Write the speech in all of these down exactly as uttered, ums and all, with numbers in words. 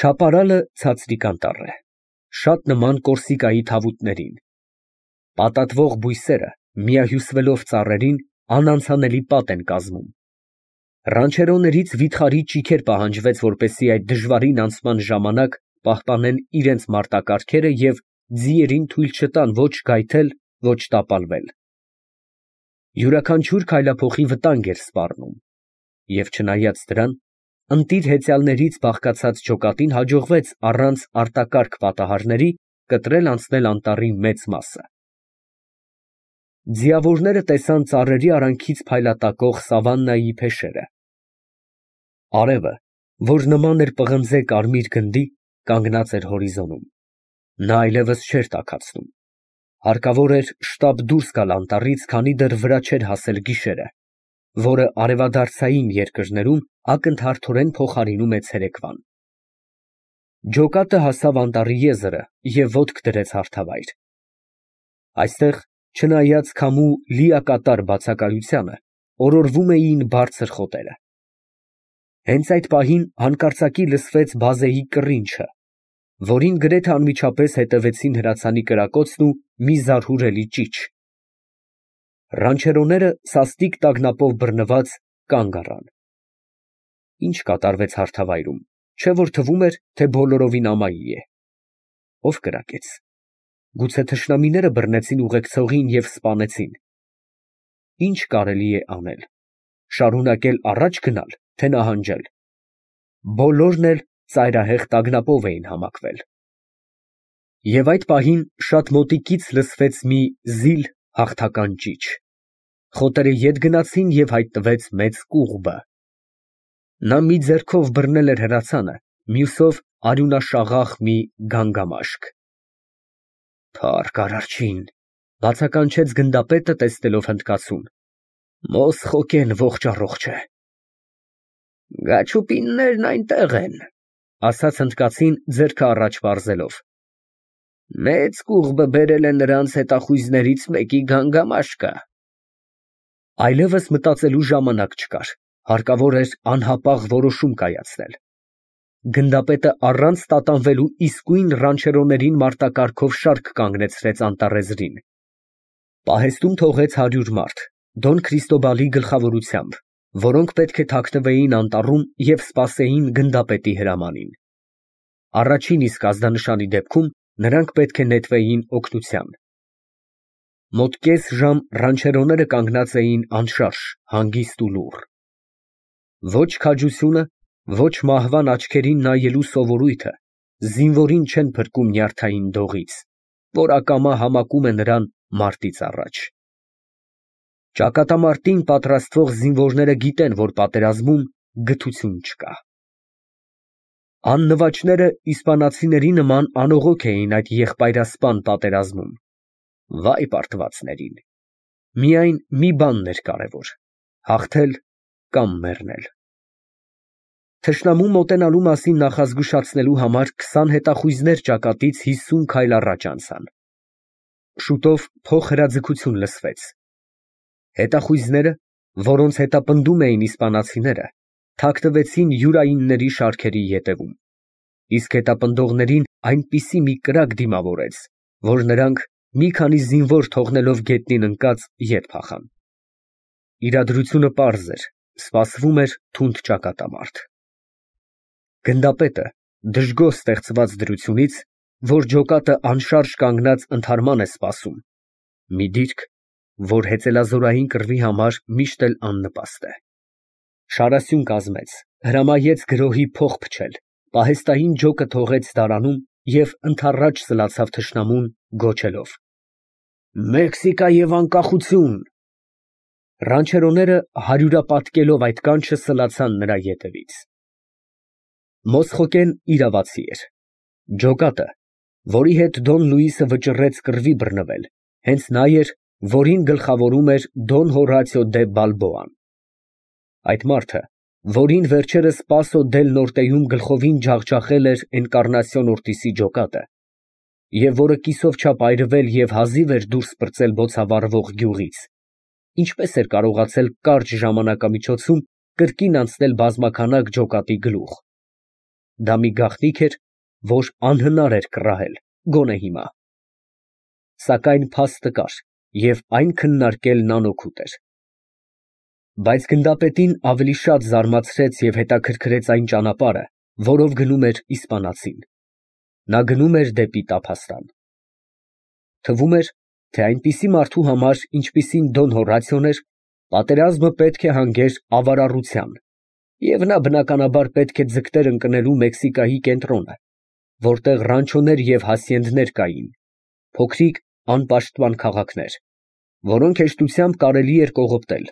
Չապարալը ցածրիկ անտառ է, շատ նման կորսիկայի թավուտներին, պատատվող բույսերը, միահյուսվելով ծառերին, անանցանելի պատ են կազմում։ Ռանչերոներից վիթխարի ճիգեր պահանջվեց, որպեսզի այդ դժվարին անցման ժամանակ պահպանեն իրենց մարտակարգերը և ձիերին թույլ չտան ոչ գայթել, ոչ տապալվել։ Յուրաքանչյուր քայլափոխի վտանգ էր սպառնում, և չնայած դրան, ընտիր հեծյալներից բաղկացած ջոկատին հաջողվեց առանց արտակարգ պատահարների կտրել անցնել անտառի մեծ մասը։ Ձիավորները տեսան ծառերի արանքից փայլատակող սավաննայի փեշերը։ Արևը, որ նման էր պղնձե կարմիր գնդի, կանգնած էր հորիզոնում, նա այլևս չէր տաքացնում, հարկավոր էր շտապ դուրս գալ անտառից, քանի դեռ վրա չէր հասել գիշերը, որը արևադարձային երկրներում ակնթարթորեն փոխարինում է ցերեկվան։ Ջոկատը հասավ անտառի եզրը և ոտք դրեց հարթավայր։ Այստեղ, չնայած քամու լիակատար բացակայությանը, օրորվում էին բարձր խոտերը։ Հենց այդ պահին հանկարծակի լսվեց բազեի կռինչը, որին գրեթե անմիջապես հետևեցին հրացանի կրակոցն ու մի զարհուրելի ճիչ։ Ռանչերոները սաստիկ տագնապով բռնված կանգ առան։ Ինչ կատարվեց հարթավայրում, չէ՞ որ թվում էր, թե բոլորովին ամայի է։ Ո՞վ կրակեց։ Գուցե թշնամիները բռնեցին ուղեկցողին և սպանեցին։ Ի՞նչ կարելի է անել, շարունակել առաջ գնալ, թե նահանջել։ Բոլորն էլ ծայրահեղ տագնապով էին համակվել։ Եվ այդ պահին շատ մոտիկից լսվեց մի զիլ հաղթական ճիչ։ Խոտերը ետ գնացին և հայտնվեց մեծ կուղբը։ Նա մի ձեռքով բռնել էր հրացանը, մյուսով արյունաշաղախ մի գանգամաշկ։ Փառք Արարչին, բացականչեց գնդապետը, տեսնելով հնդկացուն։ Մոսխոկեն ողջ առողջ է։ Գաչուպիններն այնտեղ են, ասաց հնդկացին, ձեռքը առաջ պարզելով։ Մեծ կուղբը բերել է նրանց հետախույզներից մեկի գանգամաշկը։ Այլևս մտածելու ժամանակ չկար, հարկավոր էր անհապաղ որոշում կայացնել։ Գնդապետը առանց տատանվելու իսկույն ռանչերոներին մարտակարգով շարք կանգնեցրեց անտառեզրին։ Պահեստում թողեց հարյուր մարդ, Դոն Քրիստոբալի գլխավորությամբ, որոնք պետք է թաքնվեին անտառում և սպասեին գնդապետի հրամանին։ Առաջին իսկ ազդանշանի դեպքում նրանք պետք է նետվեին օգնության։ Մոտ կես ժամ ռանչերոները կանգնած էին անշարժ, հանգիստ ու լուռ։ Ոչ քաջությունը, ոչ մահվան աչքերին նայելու սովորույթը զինվորին չեն փրկում նյարդային դողից, որ ակամա համակում է նրան մարտից առաջ։ Ճակատամարտին պատրաստվող զինվորները գիտեն, որ պատերազմում գթություն չկա։ Աննվաճները իսպանացիների նման անողոք էին այդ եղբայրասպան պատերազմում։ Վայ պարտվածներին։ Միայն մի բանն էր կարևոր՝ հաղթել կամ մեռնել։ Թշնամու մոտենալու մասին նախազգուշացնելու համար քսան հետախույզներ ճակատից հիսուն քայլ առաջ անցան։ Շուտով փոխհրաձգություն լսվեց։ Հետախույզները, որոնց հետապնդում էին իսպանացիները, թաքնվեցին յուրայինների շարքերի ետևում, իսկ հետապնդողներին այնպիսի մի կրակ դիմավորեց, որ նրանք, մի քանի զինվոր թողնելով գետնին ընկած, ետ փախան։ Իրադրությունը պարզ էր, սպասվում էր թունդ ճակատամարտ։ Գնդապետը, դժգոհ ստեղծված դրությունից, որ ջոկատը անշարժ կանգնած ընդհարման է սպասում, մի դիրք, որ հեծելազորային կռվի համար միշտ էլ աննպաստ է, շարասյուն կազմեց, հրամայեց գրոհի փող փչել, պահեստային ջոկը թողեց դարանում և ընդառաջ սլացավ թշնամուն, գոչելով. Մեքսիկա և անկախություն։ Ռանչերոները հարյուրապատկելով այդ կանչը սլացան նրա ետևից։ Մոսխոկեն իրավացի էր։ Ջոկատը, որի հետ Դոն Լուիսը վճռեց կռվի բռնվել, հենց նա էր, որին գլխավորում էր Դոն Հորացիո դե Բալբոան։ Այդ մարդը, որին վերջերս Պասո դել Նորտեում գլխովին ջախջախել էր Էնկառնասիոն Օրտիսի ջոկատը, և որը կիսով չափ այրվել և հազիվ էր դուրս պրծել բոցավառվող գյուղից, ինչպես էր կարողացել կարճ ժամանակամիջոցում կրկին անցնել բազմաքանակ ջոկատի գլուխ։ դա մի գաղտնիք էր, որ անհնար էր կռահել, գոնե հիմա։ Սակայն փաստը կար, և այն քննարկելն անօգուտ էր։ Բայց գնդապետին ավելի շատ զարմացրեց և հետաքրքրեց այն ճանապարհը, որով գնում էր իսպանացին։ Նա գնում էր դեպի տափաստան։ Թվում էր, թե այնպիսի մարդու համար, ինչպիսին Դոն Հորատիոն էր, պատերազմը պետք է հանգեր ավարառության, և նա բնականաբար պետք է ձգտեր ընկնելու Մեքսիկայի կենտրոնը, որտեղ ռանչոներ և հասիենդներ կային, փոքրիկ անպաշտպան քաղաքներ, որոնք հեշտությամբ կարելի էր կողոպտել,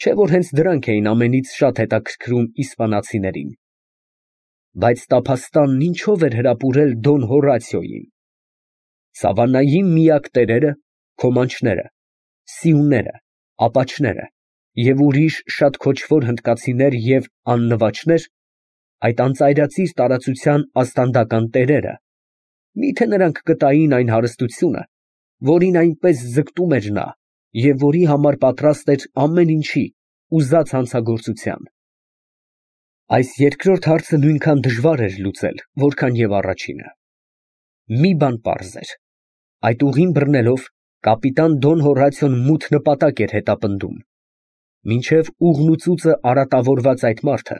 չէ՞ որ հենց դրանք էին ամենից շատ հետաքրքրում իսպանացիներին։ Բայց տափաստանն ինչո՞վ էր հրապուրել Դոն Հորատիոյին։ Սավաննայի միակ տերերը քոմանչները, սիուները, ապաչները և ուրիշ շատ քոչվոր հնդկացիներ և աննվաճներ, այդ անծայրածիր տարածության ազդանդական տերերը, մի՞թե նրանք կտային այն հարստությունը, որին այնպես ձգտում էր նա և որի համար պատրաստ էր ամեն ինչի, ուզած հանցագործության։ Այս երկրորդ հարցը նույնքան դժվար էր լուծել, որքան և առաջինը։ Մի բան պարզ էր. այդ ուղին բռնելով, կապիտան Դոն Հորատիոն մութ նպատակ էր հետապնդում, մինչև ուղն ու ծուծը արատավորված այդ մարդը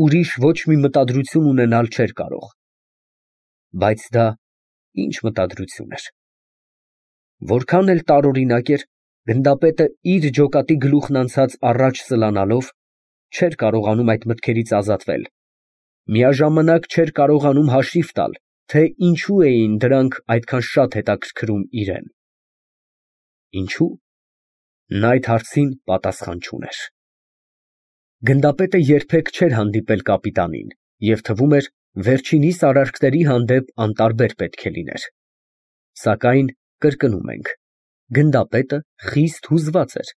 ուրիշ ոչ մի մտադրություն ունենալ չէր կարող։ Բայց դա ի՞նչ մտադրություն էր։ Որքան էլ տարօրինակ էր, գնդապետը իր ջոկատի գլուխն անցած առաջ սլանալով, չէր կարողանում այդ մտքերից ազատվել, միաժամանակ չէր կարողանում հաշիվ տալ, թե ինչու էին դրանք այդքան շատ հետաքրքրում իրան։ Ինչո՞ւ։ Նա այդ հարցին պատասխան չուներ։ Գնդապետը երբեք չէր հանդիպել կապիտանին և թվում էր, վերջինիս արարքների հանդեպ անտարբեր պետք է լիներ։ Սակայն, կրկնում ենք, գնդապետը խիստ հուզված էր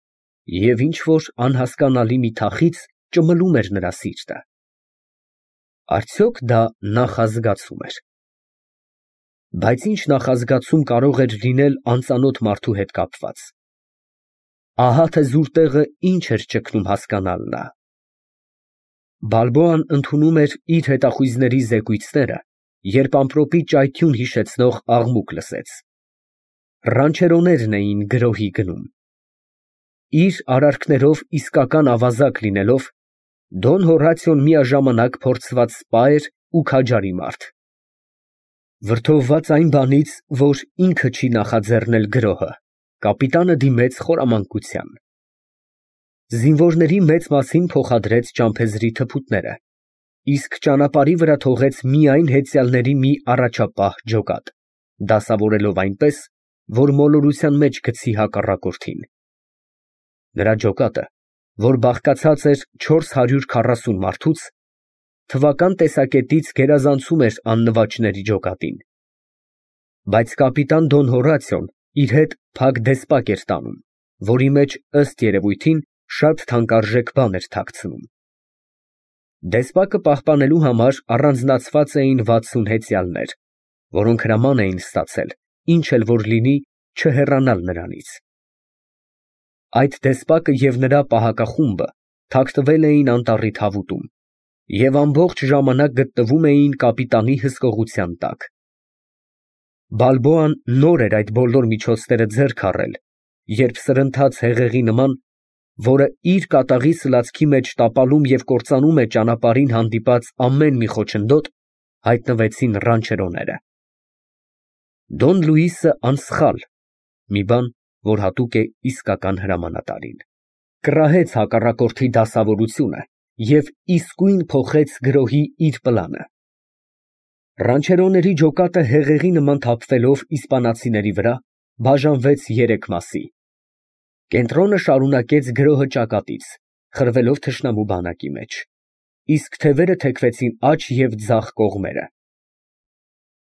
և ինչ֊որ անհասկանալի մի թախիծ ճմլում էր նրա սիրտը։ Արդյոք դա նախազգացում էր։ Բայց ի՞նչ նախազգացում կարող էր լինել անծանոթ մարդու հետ կապված։ Ահա թե զուր տեղը ինչ էր ճգնում հասկանալ նա։ Բալբոան ընդունում էր իր հետախույզների զեկույցները, երբ ամպրոպի ճայթյուն հիշեցնող աղմուկ լսեց։ Ռանչերոներն էին գրոհի գնում։ Իր արարքներով իսկական ավազակ լինելով, Դոն Հորատիոն միաժամանակ փորձված սպա էր ու քաջարի մարդ։ Վրդովված այն բանից, որ ինքը չի նախաձեռնել գրոհը, կապիտանը դիմեց խորամանկության։ Զինվորների մեծ մասին փոխադրեց ճամփեզի թփուտները, իսկ ճանապարհի վրա թողեց միայն հեծյալների մի առաջապահ ջոկատ, դասավորելով այնպես, որ մոլորության մեջ գցի հակառակորդին։ Նրա ջոկատը, որ բաղկացած էր չորս հարյուր քառասուն մարդուց, թվական տեսակետից գերազանցում էր աննվաճների ջոկատին։ Բայց կապիտան Դոն Հորատիոն իր հետ փակ դեսպակ էր տանում, որի մեջ, ըստ երևույթին, շատ թանկարժեք բան էր թաքցնում։ Դեսպակը պահպանելու համար առանձնացված էին վաթսուն հեծյալներ, որոնք հրաման էին ստացել, ինչ էլ որ լինի, չհեռանալ նրանից։ Այդ դեսպակը և նրա պահակախումբը թաքնվել էին անտառի թավուտում և ամբողջ ժամանակ գտնվում էին կապիտանի հսկողության տակ։ Բալբոան նոր էր այդ բոլոր միջոցները ձեռք առել, երբ սրընթաց հեղեղի նման, որը իր կատաղի սլացքի մեջ տապալում և կործանում է ճանապարհին հանդիպած ամեն մի խոչընդոտ, հայտնվեցին ռանչերոները։ Դոն Լուիսը անսխալ (մի բան, որ հատուկ է իսկական հրամանատարին) կռահեց հակառակորդի դասավորությունը և իսկույն փոխեց գրոհի իր պլանը։ Ռանչերոների ջոկատը հեղեղի նման թափվելով իսպանացիների վրա, բաժանվեց երեք մասի։ Կենտրոնը շարունակեց գրոհը ճակատից, խրվելով թշնամու բանակի մեջ, իսկ թևերը թեքվեցին աջ և ձախ կողմերը։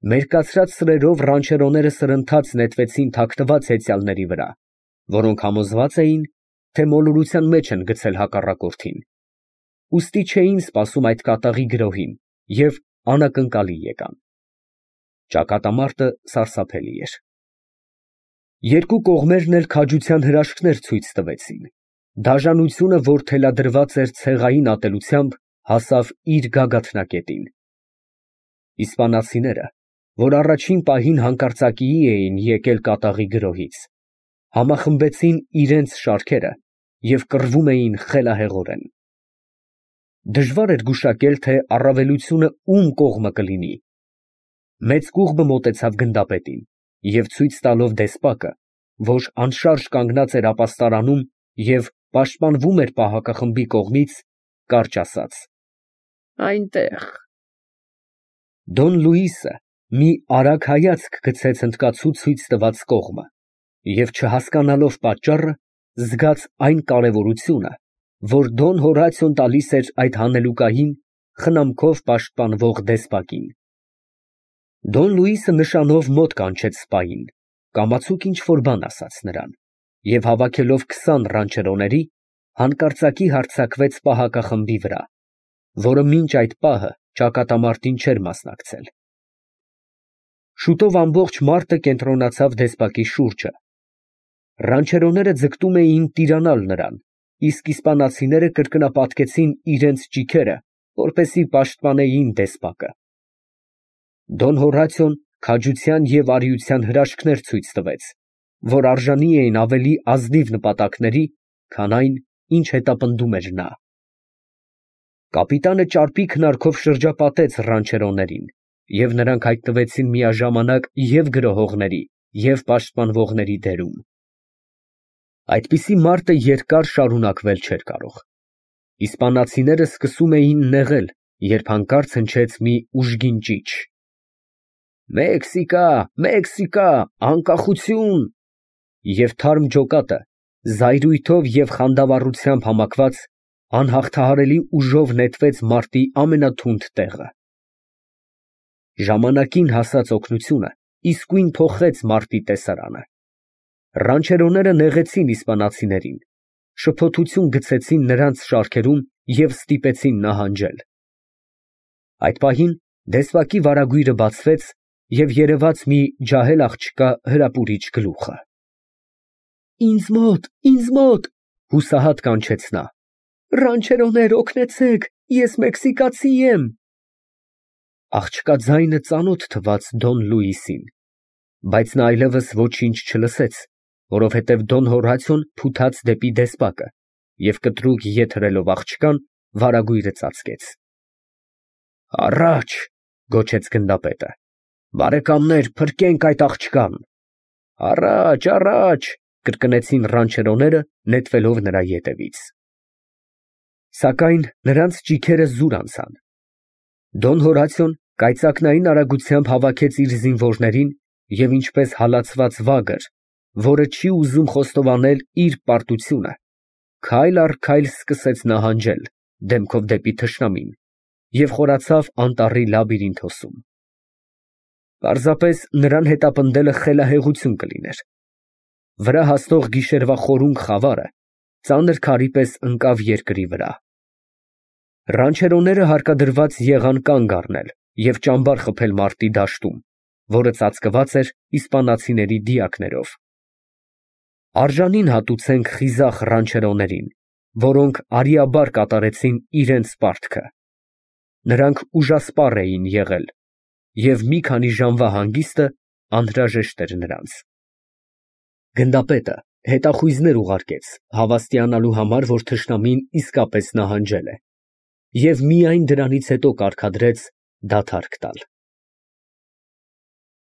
Մերկացրած սրերով ռանչերոները սրընթաց նետվեցին թաքնված հեծյալների վրա, որոնք համոզված էին, թե մոլորության մեջ են գցել հակառակորդին, ուստի չէին սպասում այդ կատաղի գրոհին և անակնկալի եկան։ Ճակատամարտը սարսափելի էր։ Երկու կողմերն էլ քաջության հրաշքներ ցույց տվեցին։ Դաժանությունը, որ թելադրված էր ցեղային ատելությամբ, հասավ իր գագաթնակետին։ Իսպանացիները, որ առաջին պահին հանկարծակիի էին եկել կատաղի գրոհից, համախմբեցին իրենց շարքերը և կռվում էին խելահեղորեն։ Դժվար էր գուշակել, թե առավելությունը ում կողմը կլինի։ Մեծ կուղբը մոտեցավ գնդապետին և ցույց տալով դեսպակը, որ անշարժ կանգնած էր ապաստարանում և պաշտպանվում էր պահակախմբի կողմից, կարճ ասաց. «Այնտեղ»։ Դոն Լուիսը մի արագ հայացք գցեց հնդկացու ցույց տված կողմը և, չհասկանալով պատճառը, զգաց այն կարևորությունը, որ Դոն Հորատիոն տալիս էր այդ հանելուկային, խնամքով պաշտպանվող դեսպակին։ Դոն Լուիսը նշանով մոտ կանչեց սպային, կամացուկ ինչ֊որ բան ասաց նրան և, հավաքելով քսան ռանչերոների, հանկարծակի հարձակվեց պահակախմբի վրա, որը մինչ այդ պահը ճակատամարտին չէր մասնակցել։ Շուտով ամբողջ մարտը կենտրոնացավ դեսպակի շուրջը։ Ռանչերոները ձգտում էին տիրանալ նրան, իսկ իսպանացիները կրկնապատկեցին իրենց ճիգերը, որպեսզի պաշտպանեին դեսպակը։ Դոն Հորատիոն քաջության և արիության հրաշքներ ցույց տվեց, որ արժանի էին ավելի ազնիվ նպատակների, քան այն, ինչ հետապնդում էր նա։ Կապիտանը ճարպիկ հնարքով շրջապատեց ռանչերոներին, և նրանք հայտնվեցին միաժամանակ և գրոհողների, և պաշտպանվողների դերում։ Այդպիսի մարտը երկար շարունակվել չէր կարող։ Իսպանացիները սկսում էին նեղել, երբ հանկարծ հնչեց մի ուժգին ճիչ. «Մեքսիկա, Մեքսիկա, անկախություն»։ Եվ թարմ ջոկատը, զայրույթով և խանդավառությամբ համակված, անհաղթահարելի ուժով նետվեց մարտի ամենաթունդ տեղը։ Ժամանակին հասած օգնությունը իսկույն փոխեց մարտի տեսարանը։ Ռանչերոները նեղեցին իսպանացիներին, շփոթություն գցեցին նրանց շարքերում և ստիպեցին նահանջել։ Այդ պահին դեսպակի վարագույրը բացվեց և երևաց մի ջահել աղջկա հրապուրիչ գլուխը։ «Ինձ մոտ, ինձ մոտ», հուսահատ կանչեց նա։ «Ռանչերոներ, օգնեցեք, ես մեքսիկացի եմ»։ Աղջկա ձայնը ծանոթ թվաց Դոն Լուիսին, բայց նա այլևս ոչինչ չլսեց, որովհետև Դոն Հորատիոն փութաց դեպի դեսպակը և կտրուկ ետ հրելով աղջկան, վարագույրը ծածկեց։ «Առաջ», գոչեց գնդապետը։ «Բարեկամներ, փրկենք այդ աղջկան»։ «Առաջ, առաջ», կրկնեցին ռանչերոները, նետվելով նրա ետևից։ Սակայն նրանց ճիգերը զուր անցան։ Դոն Հորատիոն կայծակնային արագությամբ հավաքեց իր զինվորներին և ինչպես հալածված վագր, որը չի ուզում խոստովանել իր պարտությունը, քայլ առ քայլ սկսեց նահանջել, դեմքով դեպի թշնամին, և խորացավ անտառի լաբիրինթոսում։ Պարզապես նրան հետապնդելը խելահեղություն կլիներ։ Վրա հասնող գիշերվա խորունգ խավարը ծանր քարի պես ընկավ երկրի վրա։ Ռանչերոները հարկադրված եղան կանգ առնել և ճամբար խփել մարտի դաշտում, որը ծածկված էր իսպանացիների դիակներով։ Արժանին հատուցենք խիզախ ռանչերոներին, որոնք արիաբար կատարեցին իրենց պարտքը։ Նրանք ուժասպառ էին եղել, և մի քանի ժամվա հանգիստը անհրաժեշտ էր նրանց։ Գնդապետը հետախույզներ ուղարկեց հավաստիանալու համար, որ թշնամին իսկապես նահանջել է, և միայն դրանից հետո կարգադրեց դադարք տալ։